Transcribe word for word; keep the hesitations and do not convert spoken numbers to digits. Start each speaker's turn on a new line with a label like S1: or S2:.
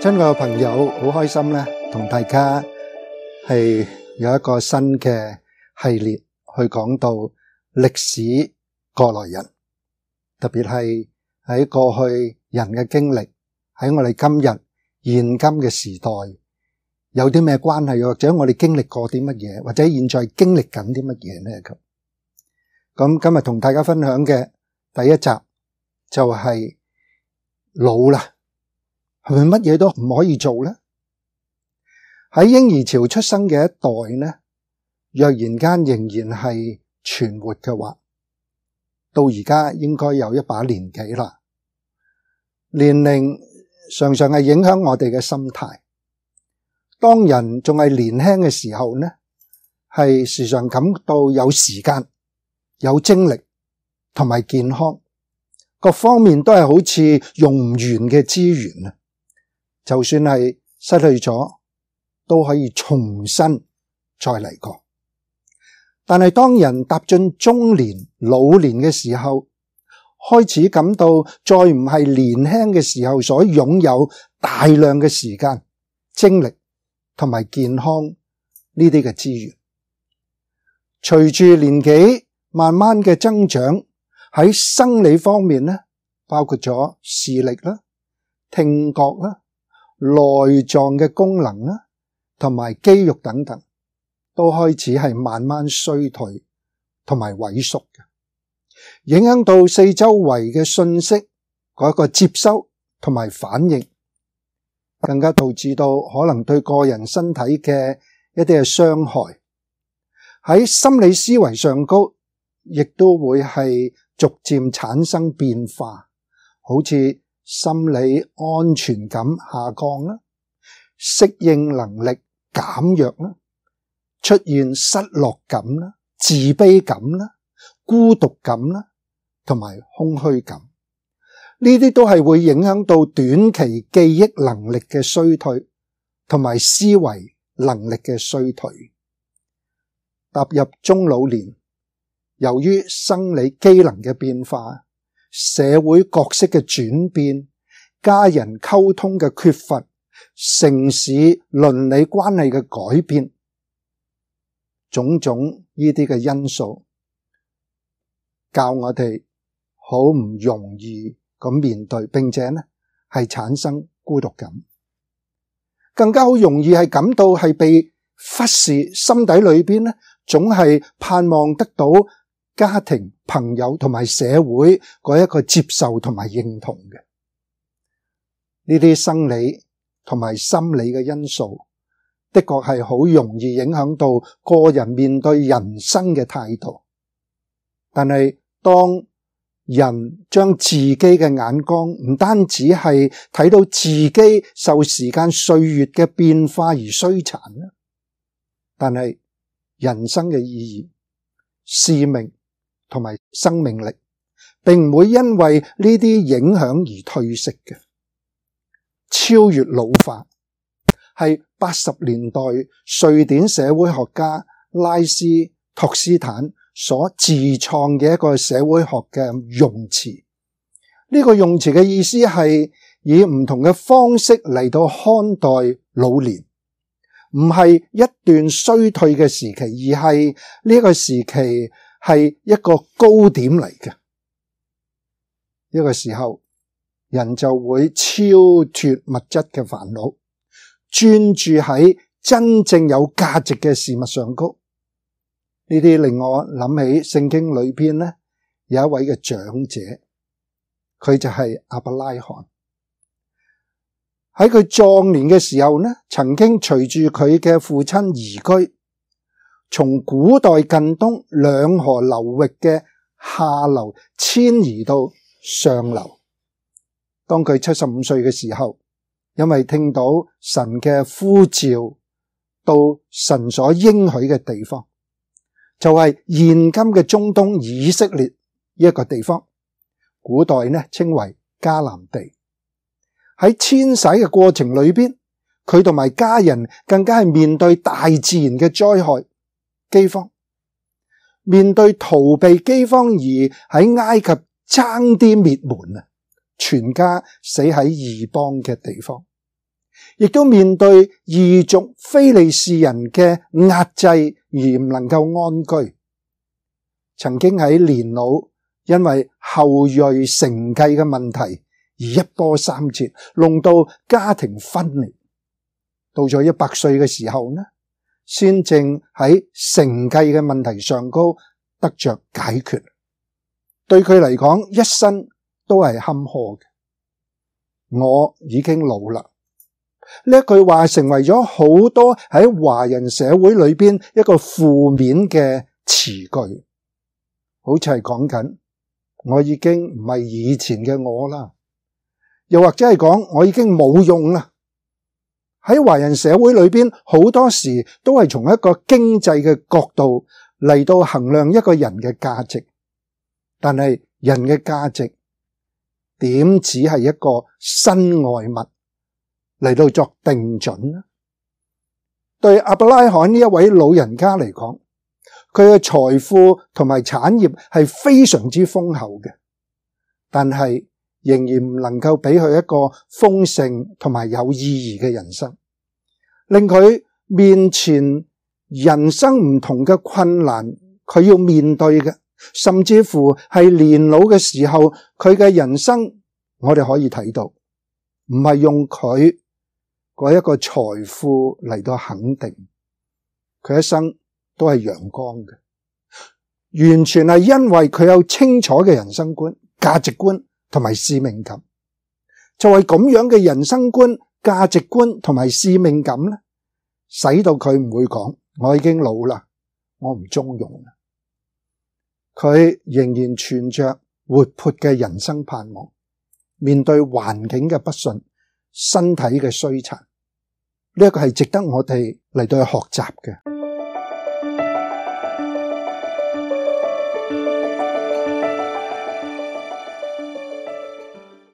S1: 親愛嘅朋友，好開心咧，同大家係有一個新嘅系列去講到歷史過來人，特別係喺過去人嘅經歷，喺我哋今日現今嘅時代有啲咩關係，或者我哋經歷過啲乜嘢，或者現在經歷緊啲乜嘢呢？咁咁今日同大家分享嘅第一集就係老啦。係咪乜嘢都唔可以做呢？喺嬰兒潮出生嘅一代呢，若然間仍然係存活嘅話，到而家應該有一把年紀啦。年齡常常係影響我哋嘅心態。當人仲係年輕嘅時候呢，係時常感到有時間、有精力同埋健康，各方面都係好似用唔完嘅資源啊！就算係失去咗，都可以重新再嚟過。但係當人踏進中年、老年嘅時候，開始感到再唔係年輕嘅時候所擁有大量嘅時間、精力同埋健康呢啲嘅資源。隨住年紀慢慢嘅增長，喺生理方面呢，包括咗視力啦、聽覺啦、內臟嘅功能啦，同埋肌肉等等，都開始係慢慢衰退同埋萎縮嘅，影響到四周圍嘅信息嗰個接收同埋反應，更加導致到可能對個人身體嘅一啲嘅傷害。喺心理思維上高，亦都會係逐漸產生變化，好似心理安全感下降啦，適應能力減弱啦，出現失落感啦、自卑感啦、孤獨感啦，同埋空虛感。呢啲都係會影響到短期記憶能力嘅衰退，同埋思維能力嘅衰退。踏入中老年，由於生理機能嘅變化，社會角色嘅轉變，家人溝通嘅缺乏，城市倫理關係嘅改變，種種呢啲嘅因素，教我哋好唔容易咁面對，並且呢係產生孤獨感，更加好容易係感到係被忽視，心底裏邊呢總係盼望得到家庭、朋友同埋社會嗰一個接受同埋認同嘅。呢啲生理同埋心理嘅因素，的確係好容易影響到個人面對人生嘅態度。但係當人將自己嘅眼光唔單止係睇到自己受時間歲月嘅變化而衰殘啦，但係人生嘅意義、使命同埋生命力，並唔會因為呢啲影響而退色嘅。超越老化係八十年代瑞典社會學家拉斯托斯坦所自創嘅一個社會學嘅用詞。呢個用詞嘅意思係以唔同嘅方式嚟到看待老年，唔係一段衰退嘅時期，而係呢個時期係一個高點嚟嘅。呢個時候，人就會超脫物質嘅煩惱，專注喺真正有價值嘅事物上高。呢啲令我諗起聖經裏邊呢，有一位嘅長者，佢就係亞伯拉罕。喺佢壯年嘅時候呢，曾經隨住佢嘅父親移居，從古代近東兩河流域嘅下流遷移到上流。當佢七十五歲嘅時候，因為聽到神嘅呼召，到神所應許嘅地方，就係現今嘅中東以色列呢一個地方，古代呢稱為迦南地。喺遷徙嘅過程裏邊，佢同埋家人更加係面對大自然嘅災害、饑荒，面對逃避饑荒而喺埃及爭啲滅門啊！全家死喺異邦嘅地方，亦都面對異族非利士人嘅壓制而唔能夠安居。曾經喺年老，因為後裔承繼嘅問題而一波三折，弄到家庭分裂。到咗一百歲嘅時候呢，先正喺承繼嘅問題上高得着解決。對佢嚟講，一生都係坎坷嘅。我已經老啦。呢一句話成為咗好多喺華人社會裏邊一個負面嘅詞句，好似係講緊我已經唔係以前嘅我啦，又或者係講我已經冇用啦。喺華人社會裏邊，好多時都係從一個經濟嘅角度嚟到衡量一個人嘅價值，但係人嘅價值點只係一個身外物嚟到作定準呢？對亞伯拉罕呢一位老人家嚟講，佢嘅財富同埋產業係非常之豐厚嘅，但係仍然唔能夠俾佢一個豐盛同埋有意義嘅人生，令佢面前人生唔同嘅困難，佢要面對嘅，甚至乎係年老嘅時候，佢嘅人生我哋可以睇到，唔係用佢嗰一個財富嚟到肯定，佢一生都係陽光嘅，完全係因為佢有清楚嘅人生觀、價值觀同埋使命感。就係咁樣嘅人生觀、價值觀同埋使命感咧，使到佢唔會講我已經老啦，我唔中用啦。佢仍然存着活潑嘅人生盼望，面對環境嘅不順、身體嘅衰殘，呢一個係值得我哋嚟到去學習嘅。